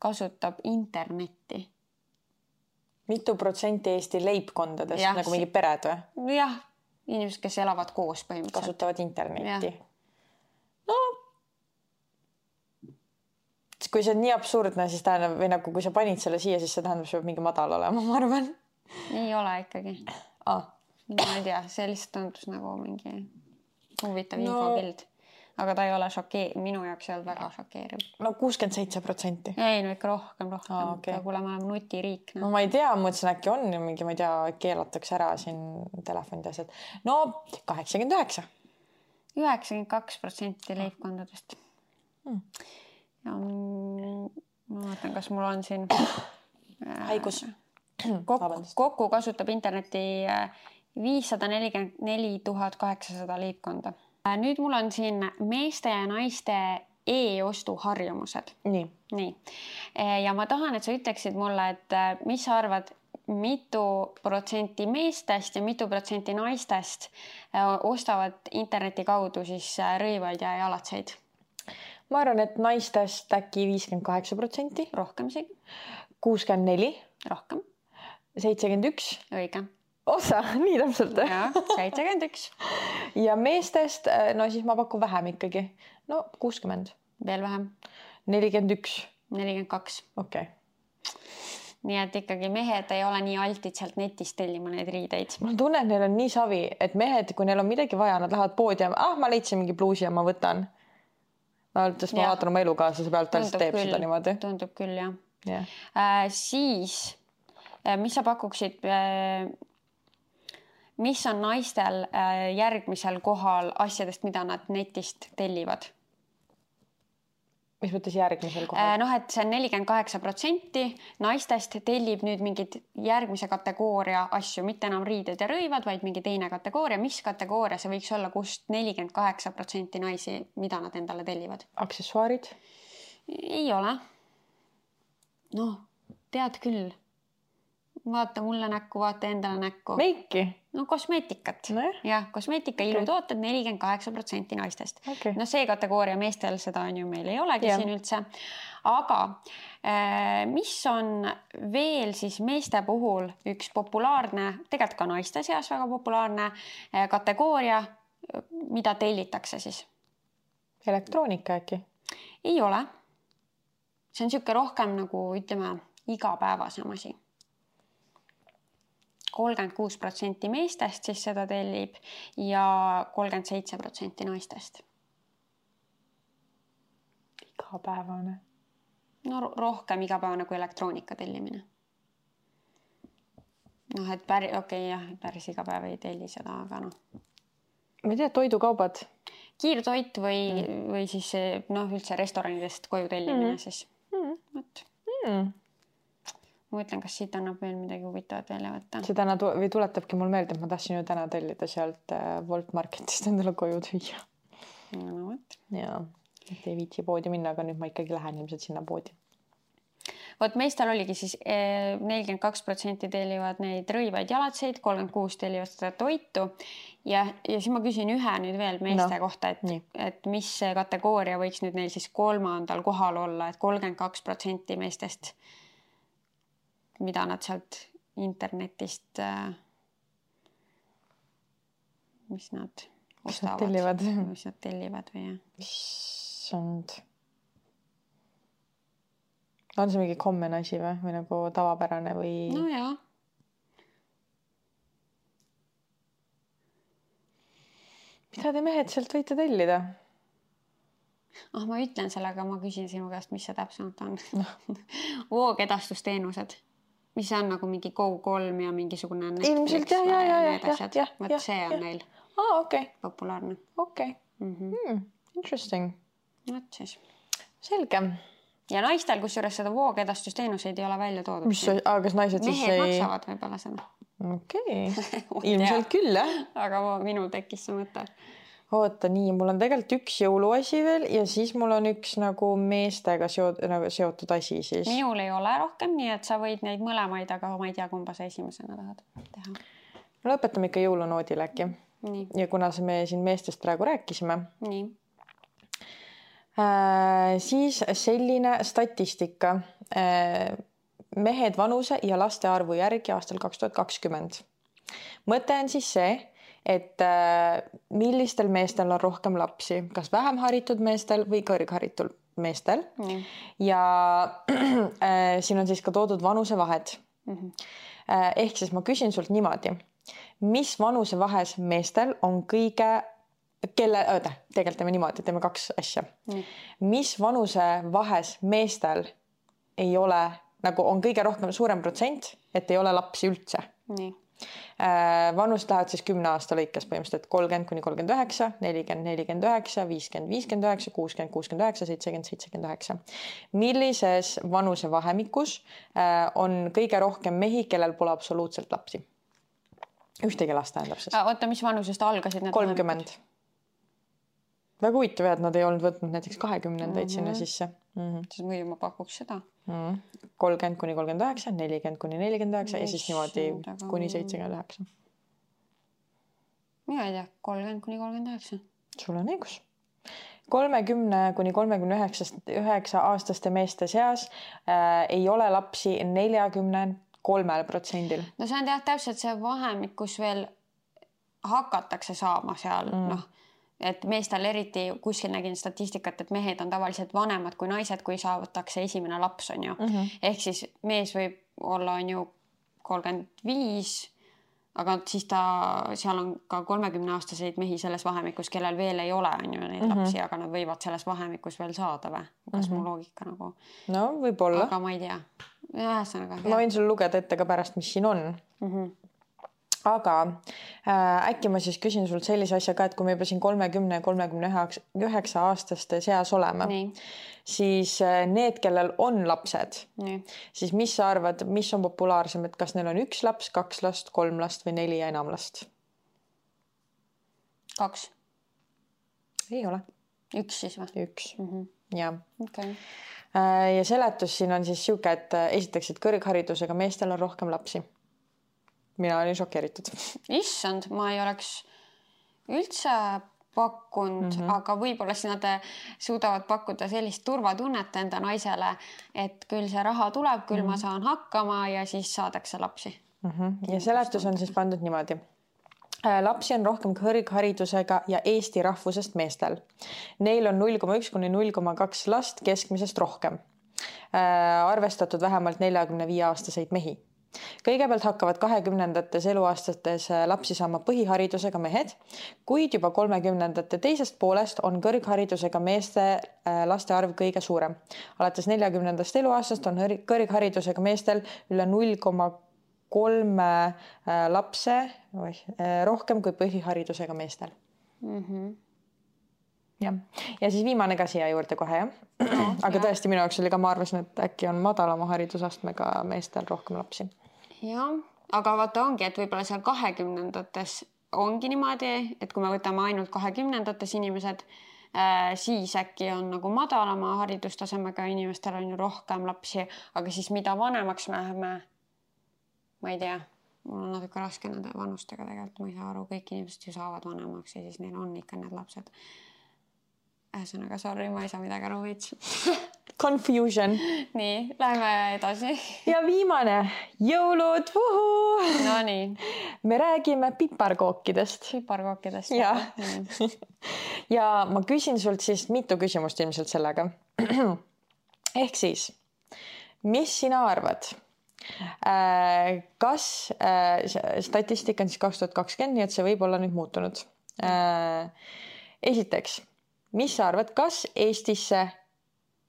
kasutab internetti? Mitu protsenti Eesti leibkondadest, nagu mingi pered või? Jah. Inimesed, kes elavad koos põhimõtteliselt. Kasutavad internetti. No, kui see on nii absurdne, siis tähendab, või nagu kui sa panid selle siia, siis see tähendab, see peab mingi madal olema, ma arvan. Ei ole ikkagi. Ma ei tea, see lihtsalt tundus nagu mingi huvitav infopild. Aga ta ei ole minu jaoks ei olnud väga šokeeriv. No 67%. Ei, no ikka rohkem. Okay. Kuule, ma olen nutiriik. No ma ei tea, mõtlesin äkki on mingi, ma ei tea, keelatakse ära siin telefonid ja asjad. No 89. 92% leibkondadest. Ja ma vaatan, kas mul on siin haigus. Kokku kasutab internetti 544 800 leibkonda. Nüüd mul on siin meeste ja naiste e-ostu harjumused. Nii. Ja ma tahan, et sa ütleksid mulle, et mis sa arvad, mitu protsenti meestest ja mitu protsenti naistest ostavad interneti kaudu siis rõivaid ja jalatseid? Ma arvan, et naistest äkki 58%. Rohkem isegi. 64. Rohkem. 71. Õige. Osa, nii täpselt. Ja, 71. Ja meestest, no siis ma pakun vähem ikkagi. No 60. Veel vähem. 41. 42. Okei. Nii et ikkagi mehed ei ole nii altid sealt netist tellima neid riideid. Ma tunnen, et neil on nii savi, et mehed, kui neil on midagi vaja, nad lähevad poodi ja ma leidsin mingi pluusi ja ma võtan. Ma vaatan oma elukaaslase pealt, ta teeb seda niimoodi. Tundub küll, jah. Siis, mis sa pakuksid... Mis on naistel järgmisel kohal asjadest, mida nad netist tellivad? Mis mõttes järgmisel kohal? Noh, et see on 48%. Naistest tellib nüüd mingid järgmise kategooria asju, mitte enam riided ja rõivad, vaid mingi teine kategooria. Mis kategooria see võiks olla, kust 48% naisi, mida nad endale tellivad? Aksessuaarid? Ei ole. No, tead küll. Vaata mulle näkku, vaata endale näkku. Meiki? No kosmeetikat. Jah, kosmeetika ilutooted 48% naistest. Okay. No see kategooria meestel seda on ju meil ei olegi siin üldse. Aga mis on veel siis meeste puhul üks populaarne, tegelikult ka naiste seas väga populaarne kategooria, mida tellitakse siis? Elektroonika äkki? Ei ole. See on siuke rohkem nagu ütleme igapäevasem asi. 36% meestest siis seda tellib ja 37% naistest. Igapäevane. No rohkem igapäevane kui elektroonika tellimine. Noh, et päris igapäev ei telli seda, aga noh. Ma ei tea, toidukaubad. Kiirtoit või siis üldse restoranidest koju tellimine siis. Ma mõtlen, kas siit annab veel midagi huvitavat välja võtta. See täna tuletabki mul meelde, et ma tahtsin ju täna tellida sealt Wolt Marketist endale koju tüüa. No, võt. Ja, et ei viitsi poodi minna, aga nüüd ma ikkagi lähen ilmselt sinna poodi. Vot meestel oligi siis 42% tellivad neid rõivaid jalatseid, 36% tellivad seda toitu ja siis ma küsin ühe nüüd veel meeste kohta, et mis see kategooria võiks nüüd neil siis 3. kohal olla, et 32% meestest, mida nad sealt internetist, mis nad ostavad, mis nad tellivad või jah. Issand. On see mingi common asi või nagu tavapärane või? No jaa. Mida te mehed sealt võite tellida? Ma ütlen selle, aga ma küsin sinu käest, mis see täpsemalt on. Voogedastusteenused, mis on nagu mingi Go3 ja mingisugune Netflix ja. Võt see on neil populaarne. Okei. Interesting. Võt siis. Selge. Ja naistel, kusjuures seda voogedastusteenuseid ei ole välja toodud. Kas naised siis mehed maksavad võib-olla seda. Okei. Ilmselt küll, jah. Aga minul tekkis see mõte. Oota, nii, mul on tegelikult üks jõuluasi veel ja siis mul on üks nagu meestega seotud asi siis. Minul ei ole rohkem, nii et sa võid neid mõlemaid, aga ma ei tea, kumba sa esimesena tahad teha. Lõpetame ikka jõulunoodil äkki. Nii. Ja kuna me siin meestest praegu rääkisime. Nii. Siis selline statistika mehed vanuse ja laste arvu järgi aastal 2020. Mõte on siis see, et millistel meestel on rohkem lapsi, kas vähem haritud meestel või kõrgharitud meestel. Ja siin on siis ka toodud vanusevahed. Ehk siis ma küsin sult niimoodi, mis vanusevahes meestel on kõige tegelikult teeme niimoodi, teeme kaks asja. Mis vanusevahes meestel ei ole, nagu on kõige rohkem suurem protsent, et ei ole lapsi üldse. Nii. Vanust lähevad siis 10 aasta lõikes põhimõtteliselt 30-39, 40-49, 50-59, 60-69, 70-79. Millises vanusevahemikus on kõige rohkem mehi, kellel pole absoluutselt lapsi? Ühtegi last tähendab siis. Oota, mis vanusest algasid need 30. Väga huvitav, et nad ei olnud võtnud näiteks 20-ndaid sinna sisse. Siis muidu ma pakuks seda. 30-39, 40-49 ja siis niimoodi kuni 79. Mina ei tea, 30-39. Sul on õigus. 30-39 aastaste meeste seas ei ole lapsi 43%. No see on täpselt see vahemik, kus veel hakatakse saama seal, et meestel eriti kuskil nägin statistikat, et mehed on tavaliselt vanemad kui naised, kui saavatakse esimene laps on ju. Ehk siis mees võib olla on ju 35, aga siis seal on ka 30-aastaseid mehi selles vahemikus, kellel veel ei ole on ju neid lapsi, aga nad võivad selles vahemikus veel saada või? Kas mu loogika nagu? No võib-olla. Aga ma ei tea. Ühesõnaga. Ma võin sul lugeda ette ka pärast, mis siin on. Aga äkki ma siis küsin sult sellise asja ka, et kui me juba siin 30-39 aastaste seas oleme, siis need, kellel on lapsed, siis mis sa arvad, mis on populaarsem, et kas neil on 1 laps, 2 last, 3 last või 4 ja enam last? 2. Ei ole. 1 siis või? 1. Ja. Okay. Ja seletus siin on siis siuke, et esiteks, et kõrgharidusega meestel on rohkem lapsi. Mina olin šokeeritud. Issand, ma ei oleks üldse pakkunud, aga võib-olla siis nad suudavad pakkuda sellist turvatunnet enda naisele, et küll see raha tuleb, küll ma saan hakkama ja siis saadakse lapsi. Ja seletus on siis pandud niimoodi. Lapsi on rohkem kõrgharidusega ja Eesti rahvusest meestel. Neil on 0,1-0,2 last keskmisest rohkem. Arvestatud vähemalt 45-aastaseid mehi. Kõigepealt hakkavad 20. eluaastates lapsi saama põhiharidusega mehed, kuid juba 30. teisest poolest on kõrgharidusega meeste laste arv kõige suurem. Alates 40. eluaastast on kõrgharidusega meestel üle 0,3 lapse rohkem kui põhiharidusega meestel. Ja siis viimane ka siia juurde kohe, jah? Aga tõesti minu jaoks oli ka, ma arvasin, et äkki on madalama haridusastmega meestel rohkem lapsi. Jah, aga vaata ongi, et võib-olla seal 20-ndates ongi niimoodi, et kui me võtame ainult 20-ndates inimesed, siis äkki on nagu madalama haridustasemega inimestel on ju rohkem lapsi, aga siis mida vanemaks me läheme, ma ei tea, mul on natuke raske nende vanustega tegelikult, ma ei saa aru, kõik inimesed ju saavad vanemaks ja siis neil on ikka need lapsed. Ühesõnaga, sorry, ma ei saa midagi aru veits. Confusion. Nii, läheme edasi. Ja viimane, jõulud, No nii. Me räägime piparkookidest. Piparkookidest. Ja. Ja ma küsin sult siis mitu küsimust ilmselt sellega. Ehk siis, mis sina arvad? Kas statistika on siis 2020, nii et see võib olla nüüd muutunud. Esiteks, mis sa arvad, kas Eestisse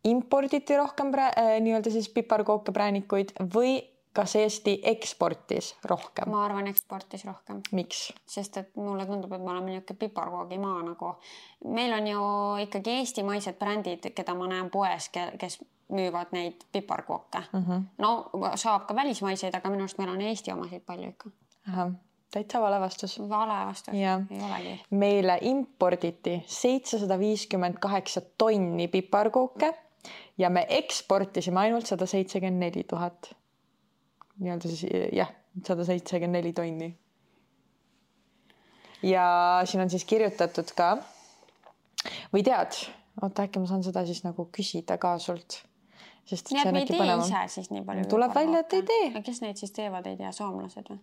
imporditi rohkem nii-öelda siis piparkooke, präänikuid või kas Eesti eksportis rohkem? Ma arvan, eksportis rohkem. Miks? Sest et mulle tundub, et me oleme niisugune piparkoogimaa nagu. Meil on ju ikkagi eestimaised brändid, keda ma näen poes, kes müüvad neid piparkooke. No saab ka välismaiseid, aga minu arust meil on Eesti omasid palju ikka. Aha. Täitsa vale vastus. Vale vastus, ja. Ei olegi. Meile imporditi 758 tonni piparkooke ja me eksportisime ainult 174 000. Nii-öelda siis, jah, 174 tonni. Ja siin on siis kirjutatud ka, või tead, oota, äkki ma saan seda siis nagu küsida ka sult. Sest nii, et me ei tee ise siis nii palju. Tuleb välja, et ei tee. Kes neid siis teevad, ei tea, soomlased või?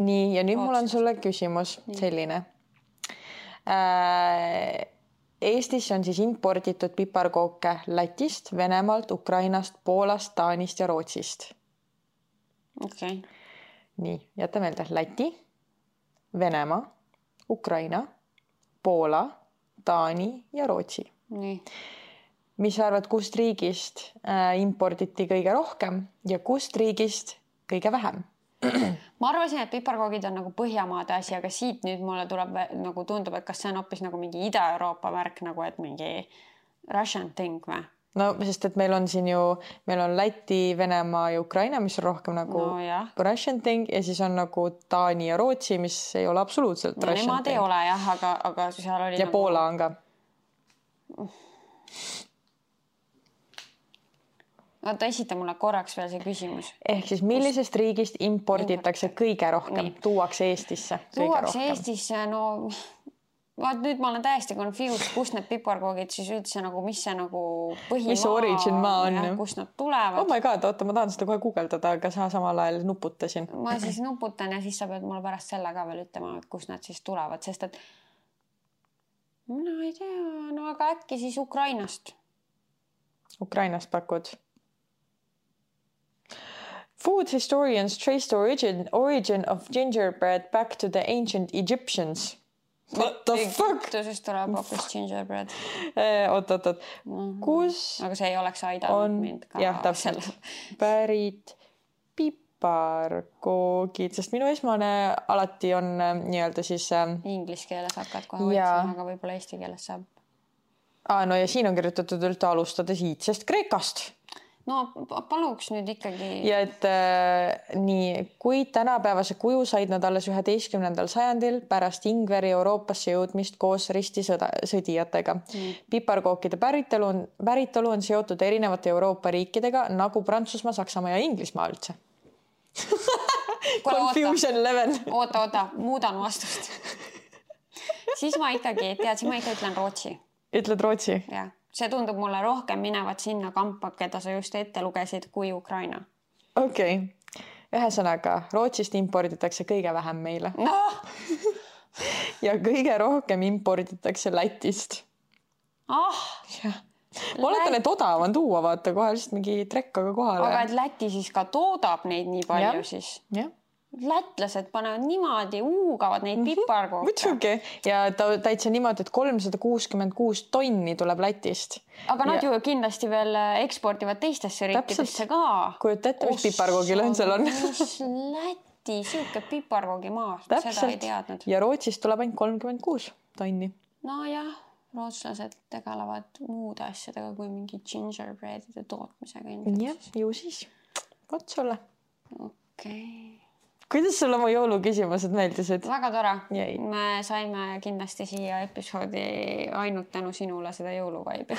Nii, ja nüüd mul on sulle küsimus selline. Eestis on siis imporditud piparkooke Lätist, Venemaalt, Ukrainast, Poolast, Taanist ja Rootsist. Okay. Nii, jäta meelde. Läti, Venemaa, Ukraina, Poola, Taani ja Rootsi. Nii. Mis sa arvad, kust riigist imporditi kõige rohkem ja kust riigist kõige vähem? Ma arvasin, et piparkoogid on nagu Põhjamaade asi, aga siit nüüd mulle tuleb nagu tundub, et kas see on hoopis nagu mingi Ida-Euroopa märk, nagu et mingi Russian thing või? No, sest et meil on siin ju, meil on Läti, Venemaa ja Ukraina, mis on rohkem nagu Russian thing ja siis on nagu Taani ja Rootsi, mis ei ole absoluutselt Russian thing. Nemad ei ole jah, aga seal oli ja nagu... Poola on ka. Oota, esita mulle korraks veel see küsimus. Ehk siis millisest riigist imporditakse kõige rohkem? Tuuakse Eestisse kõige rohkem? Tuuakse Eestisse, no vaat nüüd ma olen täiesti confused, kust need piparkoogid siis üldse nagu, mis see nagu põhimaa, mis origin maa on, kust nad tulevad. Oh my god, oota, ma tahan seda kohe guugeldada, aga sa samal ajal nuputasin. Ma siis nuputan ja siis sa pead mulle pärast selle ka veel ütlema, et kust nad siis tulevad, sest et no ei tea, no aga äkki siis Ukrainast. Ukrainast pakud? Food historians traced origin of gingerbread back to the ancient Egyptians. What the fuck? Egiptusest tuleb hoopis gingerbread. Oot. Kus aga see ei oleks aidanud mind ka. Jah, täpselt. Pärit piparkoogid, sest minu esmane alati on nii-öelda siis... Inglis keeles hakkad kohe võtsima, aga võib-olla eesti keeles saab. No ja siin on kirjutatud üldse alustades iidsest Kreekast. No paluks nüüd ikkagi... Ja et nii, kui tänapäevase kuju said nad alles 11. sajandil pärast Ingveri Euroopasse jõudmist koos ristisõdijatega. Piparkookide päritolu on seotud erinevate Euroopa riikidega nagu Prantsusmaa, Saksamaa ja Inglismaa üldse. Confusion level. Oota, muudan vastust. Siis ma ikkagi ütlen Rootsi. Ütled Rootsi? Jah. See tundub mulle rohkem minevat sinna kampa, keda sa just ette lugesid, kui Ukraina. Okei. Ühesõnaga, Rootsist imporditakse kõige vähem meile. No! Ja kõige rohkem imporditakse Lätist. Ma oletan, et odav on tuua, vaata kohe lihtsalt mingi trekkaga kohale. Aga et Läti siis ka toodab neid nii palju siis? Jah. Lätlased panevad niimoodi, uugavad neid piparkooke. Muidugi. Ja täitsa niimoodi, et 366 tonni tuleb Lätist. Aga nad ju kindlasti veel eksportivad teistesse riikidesse ka. Kujuta ette, mis piparkoogilõhn seal on. Läti, siuke piparkoogimaa. Seda ei teadnud. Ja Rootsist tuleb ainult 36 tonni. No jah, rootslased tegelevad muude asjadega kui mingi gingerbreadide tootmisega. Jah, ju siis. Võt sulle. Okei. kuidas sulle mu jõuluküsimused meeldisid? Väga tore. Jäi. Me saime kindlasti siia episoodi ainult tänu sinule seda jõuluvaibi.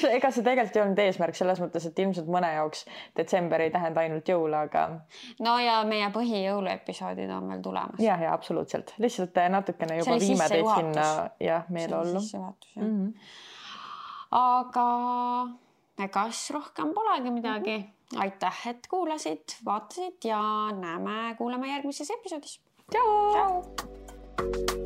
Ega see tegelikult ei olnud eesmärk selles mõttes, et ilmselt mõne jaoks detsember ei tähenda ainult jõule, aga... No ja meie põhijõuluepisoodid on veel tulemas. Ja, absoluutselt. Lihtsalt natukene juba viime teid sinna meeleollu. Aga egas rohkem polegi midagi. Aitäh, et kuulasid, vaatasid ja kuuleme järgmises episoodis. Tšau! Tšau!